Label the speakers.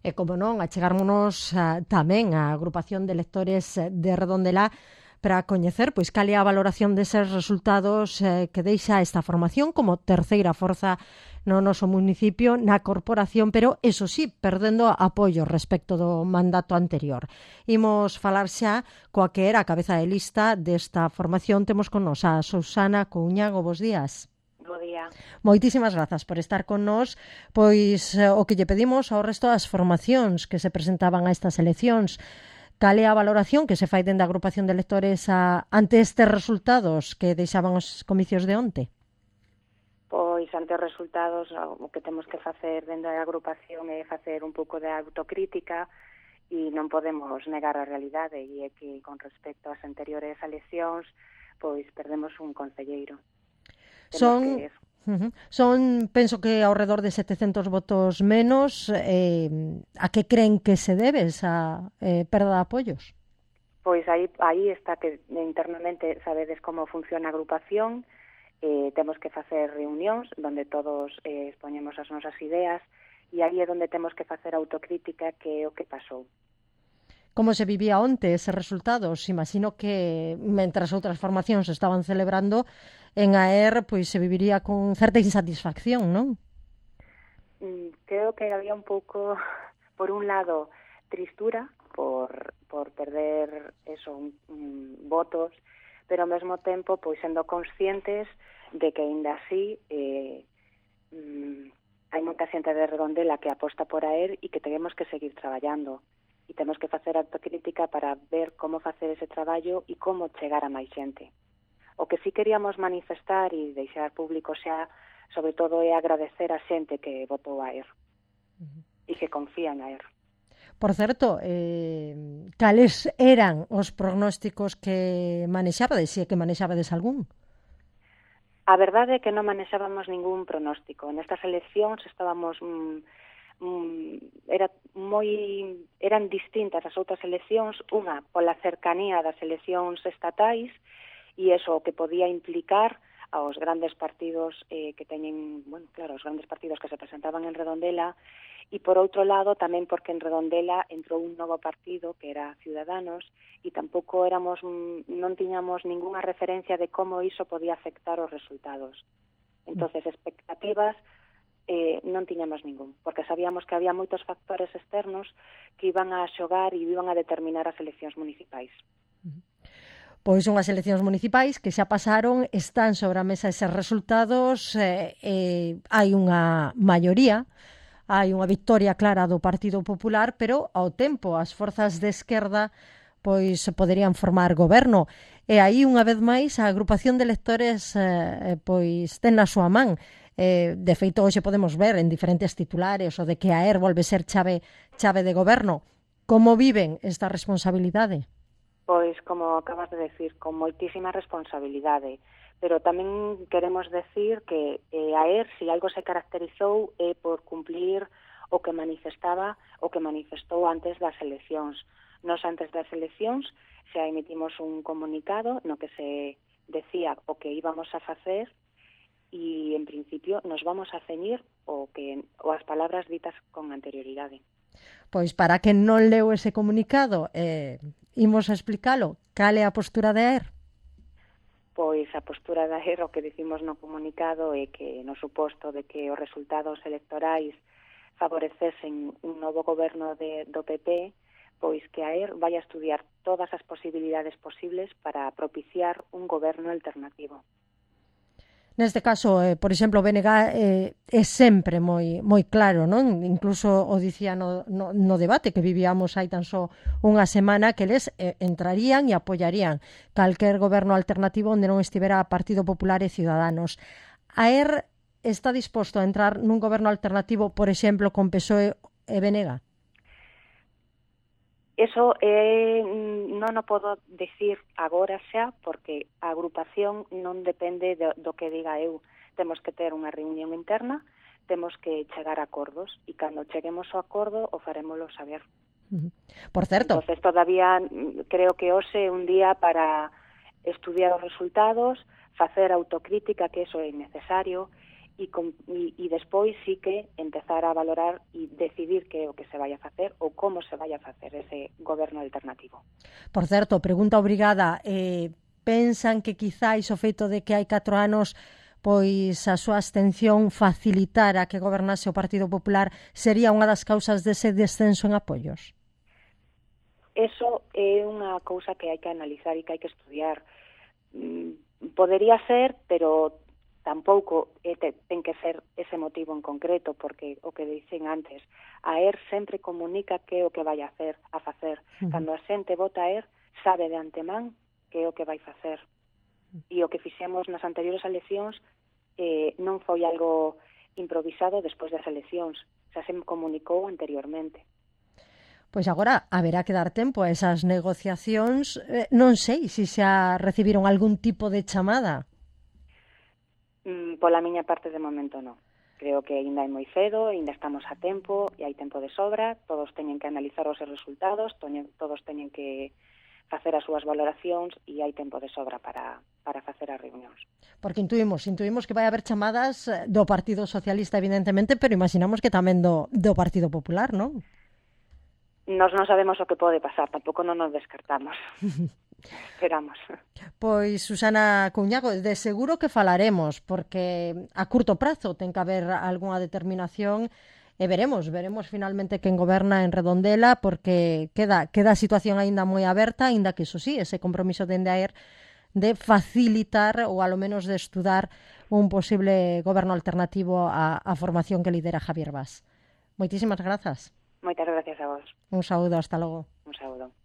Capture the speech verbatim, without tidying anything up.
Speaker 1: E, como non, achegármonos uh, tamén á agrupación de lectores de Redondela para coñecer pois cal é a valoración deses resultados eh, que deixa esta formación como terceira forza no noso municipio, na corporación, pero, eso sí, perdendo apoio respecto do mandato anterior. Imos falar xa coa que era a cabeza de lista desta formación. Temos con nos a Susana Couñago. Bos días.
Speaker 2: Bo día.
Speaker 1: Moitísimas grazas por estar con nós. Pois eh, o que lle pedimos ao resto das formacións que se presentaban a estas eleccións. Cal é a valoración que se fai dende a agrupación de lectores a, ante estes resultados que deixaban os comicios de onte?
Speaker 2: Pois, ante os resultados, o que temos que facer dende a agrupación é facer un pouco de autocrítica e non podemos negar a realidade, e é que con respecto ás anteriores eleccións, pois perdemos un concelleiro.
Speaker 1: Son... Que... Uh-huh. Son, penso que ao redor de setecentos votos menos. Eh, a que creen que se debe esa eh, perda de apoios?
Speaker 2: Pois aí, aí está que internamente sabedes como funciona a agrupación. Eh, temos que facer reunións onde todos eh, expoñemos as nosas ideas, e aí é onde temos que facer autocrítica, que é o que pasou.
Speaker 1: Como se vivía onte eses resultados? Imagino que, mentras outras formacións estaban celebrando, en A E R pois se viviría con certa insatisfacción, non?
Speaker 2: Mm, creo que había un pouco, por un lado, tristura por, por perder eso, un, un, votos, pero ao mesmo tempo, pois sendo conscientes de que aínda así eh, mm, hai moita xente de Redondela que aposta por A E R e que temos que seguir traballando. E temos que facer autocrítica para ver como facer ese traballo e como chegar a máis xente. O que sí queríamos manifestar e deixar público xa, sobre todo, é agradecer a xente que votou a A E R uh-huh. e que confía en A E R.
Speaker 1: Por certo, eh, cales eran os prognósticos que manexabades, se é que manexabades algún?
Speaker 2: A verdade é que non manexábamos ningún pronóstico. Nestas eleccións estábamos... Mm, era moi eran distintas as outras eleccións, unha pola cercanía das eleccións estatais, e eso que podía implicar aos grandes partidos eh, que teñen, bueno, claro, os grandes partidos que se presentaban en Redondela, e por outro lado tamén porque en Redondela entrou un novo partido que era Ciudadanos, e tampouco éramos non tiñamos ningunha referencia de como iso podía afectar os resultados. Entonces, expectativas Eh, non tiñamos ningún, porque sabíamos que había moitos factores externos que iban a xogar e iban a determinar as eleccións municipais.
Speaker 1: Pois unhas eleccións municipais que xa pasaron, están sobre a mesa eses resultados, eh, eh, hai unha maioría, hai unha victoria clara do Partido Popular, pero ao tempo as forzas de esquerda pois poderían formar goberno, e aí unha vez máis a agrupación de electores eh, pois ten na súa man. Eh, de feito, hoxe podemos ver en diferentes titulares o de que a E R volve ser chave, chave de goberno. Como viven esta responsabilidade?
Speaker 2: Pois, como acabas de decir, con moitísima responsabilidade, pero tamén queremos decir que eh, a E R, se algo se caracterizou, é por cumplir o que manifestaba, o que manifestou antes das eleccións. Nos antes das eleccións xa emitimos un comunicado no que se decía o que íbamos a facer, e, en principio, nos vamos a ceñir o que o as palabras ditas con anterioridade.
Speaker 1: Pois, para quen non leu ese comunicado, eh, imos a explicalo. Cal é a postura de A E R?
Speaker 2: Pois a postura da A E R, o que dicimos no comunicado, é que, no suposto de que os resultados electorais favorecesen un novo goberno de, do P P, pois que a E R vai a estudiar todas as posibilidades posibles para propiciar un goberno alternativo.
Speaker 1: Neste caso, eh, por exemplo, o B N G eh, é sempre moi moi claro, non? Incluso o dicía no, no, no debate que vivíamos hai tan só unha semana, que eles eh, entrarían e apoiarían calquer goberno alternativo onde non estivera Partido Popular e Ciudadanos. A E R está disposto a entrar nun goberno alternativo, por exemplo, con P S O E e B N G?
Speaker 2: Eso eh, non o podo decir agora xa, porque a agrupación non depende do, do que diga eu. Temos que ter unha reunión interna, temos que chegar a acordos, e cando cheguemos ao acordo o farémolo saber.
Speaker 1: Por certo.
Speaker 2: Entonces, todavía creo que hoxe é un día para estudiar os resultados, facer autocrítica, que eso é necesario, e, com, e, e despois sí que empezar a valorar e decidir que é o que se vai a facer ou como se vai a facer ese goberno alternativo.
Speaker 1: Por certo, pregunta obrigada, eh, pensan que quizáis o feito de que hai catro anos pois a súa abstención facilitara que gobernase o Partido Popular sería unha das causas dese descenso en apoios?
Speaker 2: Eso é unha cousa que hai que analizar e que hai que estudiar. Podería ser, pero tampouco é, te, ten que ser ese motivo en concreto, porque o que dicen antes, a ER sempre comunica que é o que vai a hacer, a facer. Uh-huh. Cando a xente vota a ER, sabe de antemán que é o que vai facer. E o que fixemos nas anteriores eleccións eh, non foi algo improvisado despois das eleccións, xa se comunicou anteriormente.
Speaker 1: Pois agora haberá que dar tempo a esas negociacións. Eh, non sei se xa recibiron algún tipo de chamada.
Speaker 2: Mm, pola miña parte de momento non. Creo que ainda é moi cedo, ainda estamos a tempo e hai tempo de sobra. Todos teñen que analizar os seus resultados, todos teñen que facer as súas valoracións e hai tempo de sobra para, para facer as reunións.
Speaker 1: Porque intuimos, intuimos que vai haber chamadas do Partido Socialista, evidentemente, pero imaginamos que tamén do, do Partido Popular, non?
Speaker 2: Nos non sabemos o que pode pasar, tampouco non nos descartamos. Esperamos.
Speaker 1: Pois, Susana Cuñago, de seguro que falaremos, porque a curto prazo ten que haber algunha determinación e veremos, veremos finalmente quen goberna en Redondela, porque queda, queda a situación aínda moi aberta, aínda que, iso sí, ese compromiso de Endaer de facilitar ou alo menos de estudar un posible goberno alternativo á, á formación que lidera Javier Bas. Moitísimas grazas.
Speaker 2: Moitas gracias a vos.
Speaker 1: Un saúdo, hasta logo.
Speaker 2: Un saúdo.